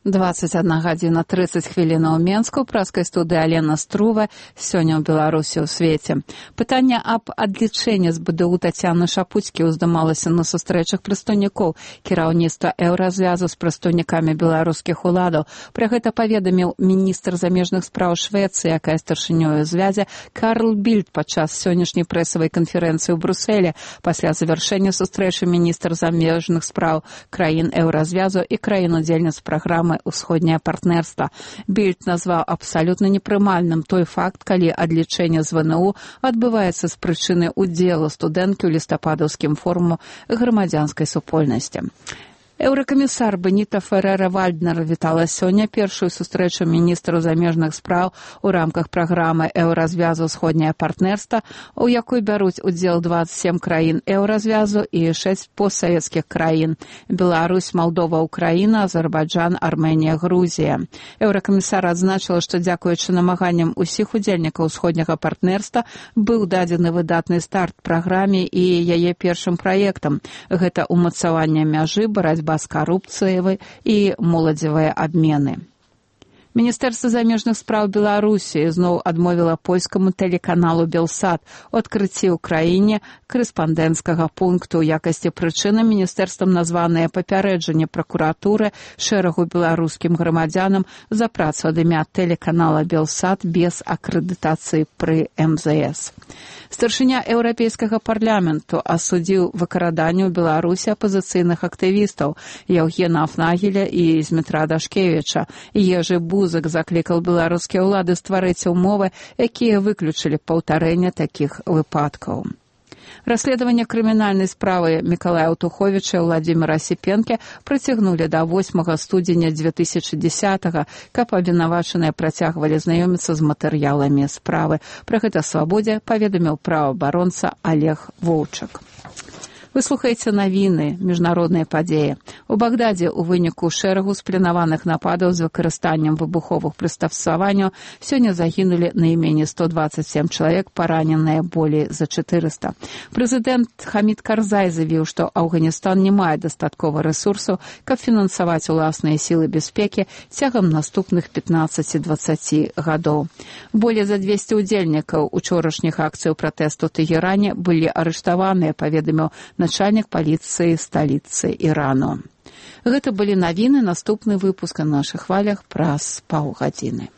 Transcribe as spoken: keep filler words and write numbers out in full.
двадцать одна гадзіна тридцать хвілінаў у Менску, праскай студыі Алена Струва, сёння ў Беларусі ў свеце. Пытанне аб адлічэнні з БДУ Тацяны Шапуцькі ўздымалася на сустрэчах прадстаўнікоў кіраўніцтва Еўразвязу з прадстаўнікамі беларускіх уладаў. Пра гэта паведаміў міністр замежных спраў Швецыі, якая старшынёю звязі Карл Більд падчас сённяшняй прэсавай канферэнцыі ў Брусэле. Пасля завяршэння сустрэчы міністр замежных спраў краін Еўразвязу і краін-удзельніц праграмы «Усходняе партнерства». Більд назваў абсалютна непрымальным той факт, калі адлічэнне з ВНУ адбываецца з прычыны ўдзелу студэнткі ў лістападаўскім форуму грамадзянскай супольнасці. Еўракамісар Беніта Ферера-Вальднер вітала сёння першую сустрэчу міністраў замежных спраў у рамках праграмы Еўразвязу «Усходняе партнерства», у якой бяруць удзел двадцать семь краін Еўразвязу і шэсць постсавецкіх краін – Беларусь, Малдова, Украіна, Азербайджан, Арменія, Грузія. Еўракамісар адзначыла, што дзякуючы намаганням усіх удзельнікаў усходняга партнерства быў дадзены выдатны старт праграме і яе першым праектам. Гэта ўмацаванне мяжы, барацьба з карупцыяй і моладзевыя абмены. Міністэрства замежных спраў Беларусі зноў адмовіла польскаму тэлеканалу «Белсат» у адкрыцці ў краіне корэспандэнцкага пункту. У якасці прычыны міністэрствам названае папярэджанне пракуратуры шэрагу беларускім грамадзянам за працу ад імя тэлеканала «Белсат» без акрэдытацыі пры эм зэ эс. Старшыня Еўрапейскага парламенту асудзіў выкраданне ў Беларусі апазіцыйных актывістаў Яўгена Афнагеля і Змітра Дашкевіча. Ежы Бузак заклікаў беларускія ўлады стварыць умовы, якія выключылі паўтарэнне такіх выпадкаў. Расследаванне крымінальнай справы Мікалая Утуховіча і Владзіміра Асіпенкі прыцягнулі да восьмага студзеня дзве тысячы дзесятага, каб абвінавачаныя працягвалі знаёміцца з матэрыяламі справы. Пра гэта «Свабодзе» паведаміў праваабаронца Олег Воўчак. Вы слухаеце навіны, міжнародныя падзеі. У Багдадзе ў выніку шэрагу спланаваных нападаў з выкарыстаннем выбуховых прыстасаванняў сёння загінулі найменей сто двадцать семь чалавек, параненыя болей за четыреста. Прэзідэнт Хамід Карзай заявіў, што Афганістан не мае дастаткова рэсурсаў, каб фінансаваць уласныя сілы бяспекі цягам наступных пятнаццаці-дваццаці гадоў. Болей за двесце ўдзельнікаў учорашніх акцый пратэсту ў Тэгеране былі арыштаваныя, паведаміў начальнік паліцыі сталіцы Ірану. Гэта былі навіны, наступны выпуск на нашых хвалях праз паўгадзіны.